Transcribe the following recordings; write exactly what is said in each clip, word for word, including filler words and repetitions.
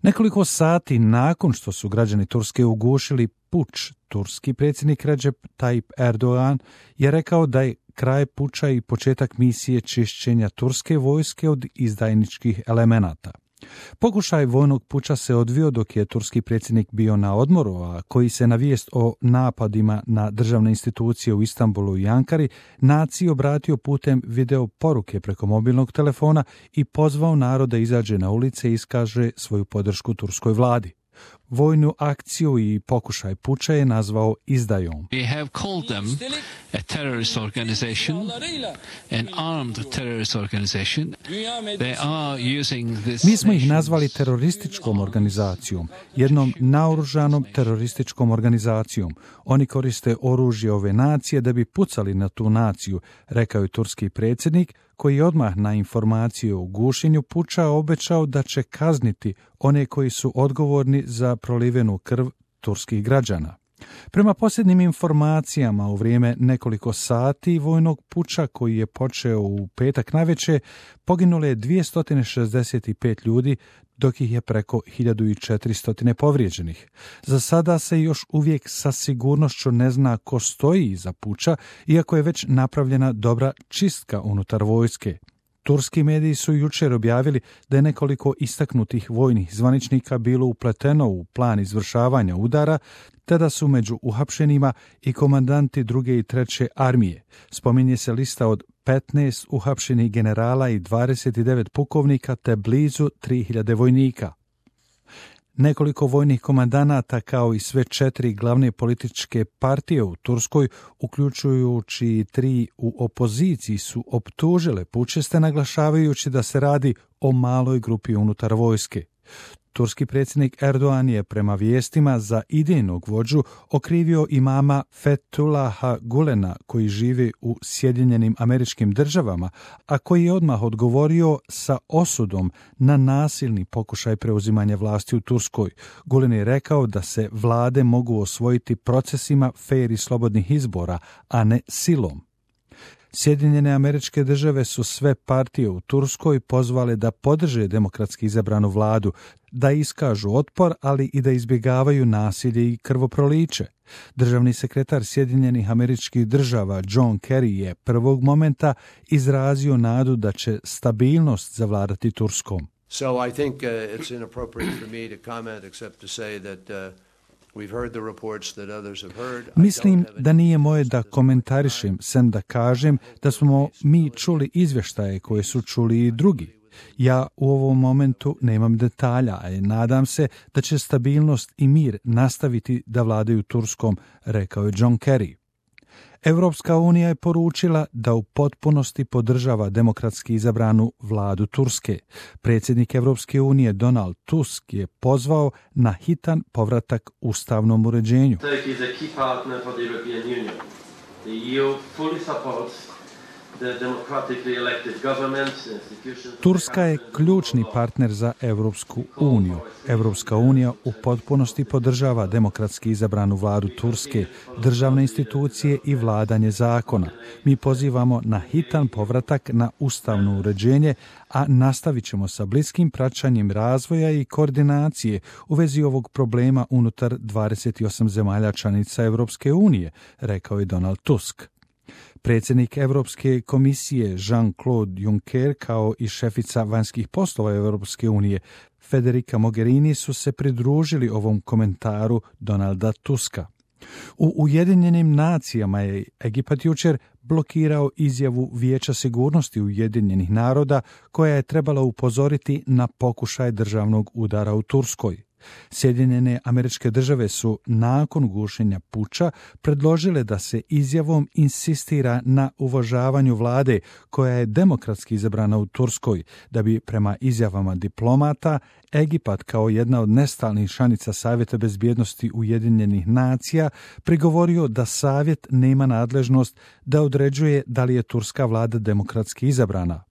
Nekoliko sati nakon što su građani Turske ugušili puč, turski predsjednik Recep Tayyip Erdogan je rekao da je kraj puča i početak misije čišćenja turske vojske od izdajničkih elemenata. Pokušaj vojnog puča se odvio dok je turski predsjednik bio na odmoru, a koji se na vijest o napadima na državne institucije u Istanbulu i Ankari naciji obratio putem video poruke preko mobilnog telefona i pozvao narod da izađe na ulice i iskaže svoju podršku turskoj vladi. Vojnu akciju i pokušaj puča je nazvao izdajom. We have called them a terrorist organization, an armed terrorist organization. They are using this. Mi smo ih nazvali terorističkom organizacijom, jednom naoružanom terorističkom organizacijom. Oni koriste oružje ove nacije da bi pucali na tu naciju, rekao je turski predsjednik, koji je odmah na informaciju o gušenju puča obećao da će kazniti one koji su odgovorni za prolivenu krv turskih građana. Prema posljednjim informacijama u vrijeme nekoliko sati vojnog puča koji je počeo u petak navečer, poginulo je dvjesto šezdeset pet ljudi, dok ih je preko hiljadu četiristo povrijeđenih. Za sada se još uvijek sa sigurnošću ne zna ko stoji iza puča, iako je već napravljena dobra čistka unutar vojske. Turski mediji su jučer objavili da je nekoliko istaknutih vojnih zvaničnika bilo upleteno u plan izvršavanja udara, te da su među uhapšenima i komandanti druge i treće armije. Spominje se lista od petnaest uhapšenih generala i dvadeset devet pukovnika te blizu tri hiljade vojnika. Nekoliko vojnih komandanata kao i sve četiri glavne političke partije u Turskoj, uključujući tri u opoziciji, su optužile pučiste naglašavajući da se radi o maloj grupi unutar vojske. Turski predsjednik Erdogan je prema vijestima za idejnog vođu okrivio imama Fethullaha Gulena koji živi u Sjedinjenim Američkim Državama, a koji je odmah odgovorio sa osudom na nasilni pokušaj preuzimanja vlasti u Turskoj. Gulen je rekao da se vlade mogu osvojiti procesima fer i slobodnih izbora, a ne silom. Sjedinjene Američke Države su sve partije u Turskoj pozvale da podrže demokratski izabranu vladu, da iskažu otpor, ali i da izbjegavaju nasilje i krvoproliće. Državni sekretar Sjedinjenih Američkih Država John Kerry je prvog momenta izrazio nadu da će stabilnost zavladati Turskom. So I think uh, it's inappropriate for me to comment except to say that uh, Mislim da nije moje da komentarišem, sem da kažem da smo mi čuli izvještaje koje su čuli i drugi. Ja u ovom momentu nemam detalja, a nadam se da će stabilnost i mir nastaviti da vladaju Turskom, rekao je John Kerry. Evropska unija je poručila da u potpunosti podržava demokratski izabranu vladu Turske. Predsjednik Evropske unije Donald Tusk je pozvao na hitan povratak ustavnom uređenju. Turska je ključni partner za Evropsku uniju. Evropska unija u potpunosti podržava demokratski izabranu vladu Turske, državne institucije i vladanje zakona. Mi pozivamo na hitan povratak na ustavno uređenje, a nastavit ćemo sa bliskim praćanjem razvoja i koordinacije u vezi ovog problema unutar dvadeset osam zemalja članica Evropske unije, rekao je Donald Tusk. Predsjednik Europske komisije Jean-Claude Juncker kao i šefica vanjskih poslova Europske unije Federica Mogherini su se pridružili ovom komentaru Donalda Tuska. U Ujedinjenim nacijama je Egipat jučer blokirao izjavu Vijeća sigurnosti Ujedinjenih naroda koja je trebala upozoriti na pokušaj državnog udara u Turskoj. Sjedinjene Američke Države su nakon gušenja puča predložile da se izjavom insistira na uvažavanju vlade koja je demokratski izabrana u Turskoj, da bi prema izjavama diplomata Egipat kao jedna od nestalnih članica Savjeta bezbjednosti Ujedinjenih nacija prigovorio da Savjet nema nadležnost da određuje da li je turska vlada demokratski izabrana.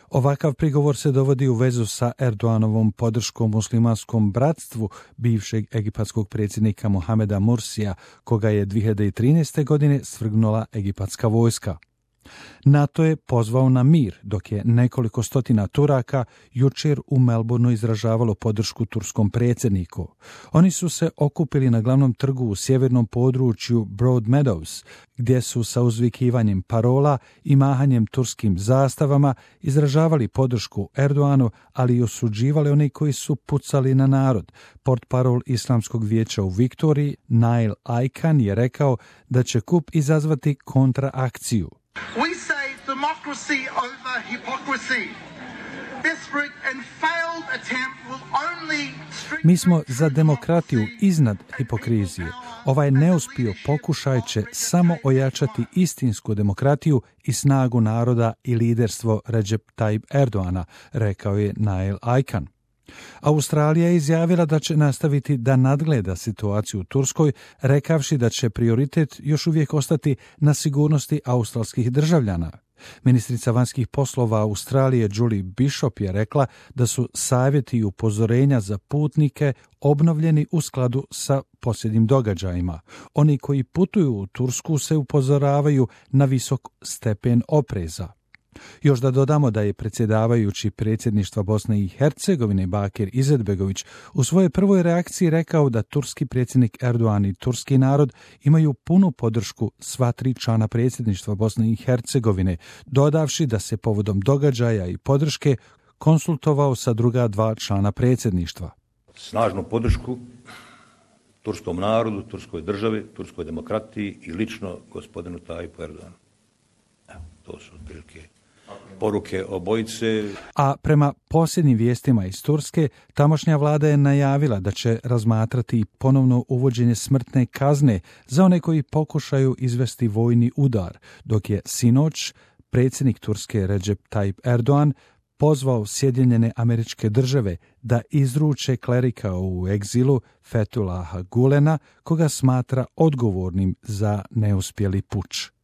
Ovakav prigovor se dovodi u vezu sa Erdoganovom podrškom muslimanskom bratstvu bivšeg egipatskog predsjednika Mohameda Mursija, koga je dvije hiljade trinaeste. godine svrgnula egipatska vojska. NATO je pozvao na mir, dok je nekoliko stotina Turaka jučer u Melbourneu izražavalo podršku turskom predsjedniku. Oni su se okupili na glavnom trgu u sjevernom području Broadmeadows, gdje su sa uzvikivanjem parola i mahanjem turskim zastavama izražavali podršku Erdoanu, ali i osuđivali oni koji su pucali na narod. Portparol Islamskog vijeća u Viktoriji, Nail Aykan, je rekao da će kup izazvati kontraakciju. We say democracy over hypocrisy. Desperate and failed attempt will only Mi smo za demokratiju iznad hipokrizije. Ovaj neuspio pokušaj će samo ojačati istinsku demokratiju i snagu naroda i liderstvo Recep Tayyip Erdoana, rekao je Nail Aykan. Australija je izjavila da će nastaviti da nadgleda situaciju u Turskoj, rekavši da će prioritet još uvijek ostati na sigurnosti australskih državljana. Ministrica vanjskih poslova Australije Julie Bishop je rekla da su savjeti i upozorenja za putnike obnovljeni u skladu sa posljednjim događajima. Oni koji putuju u Tursku se upozoravaju na visok stepen opreza. Još da dodamo da je predsjedavajući predsjedništva Bosne i Hercegovine Bakir Izetbegović u svojoj prvoj reakciji rekao da turski predsjednik Erdogan i turski narod imaju punu podršku sva tri člana predsjedništva Bosne i Hercegovine, dodavši da se povodom događaja i podrške konsultovao sa druga dva člana predsjedništva. Snažnu podršku turskom narodu, turskoj državi, turskoj demokratiji i lično gospodinu Tayyipu Erdoganu. Evo, to su otprilike poruke obojice. A prema posljednjim vijestima iz Turske, tamošnja vlada je najavila da će razmatrati ponovno uvođenje smrtne kazne za one koji pokušaju izvesti vojni udar, dok je sinoć predsjednik Turske Recep Tayyip Erdogan pozvao Sjedinjene Američke Države da izruče klerika u egzilu Fethullaha Gulena, koga smatra odgovornim za neuspjeli puč.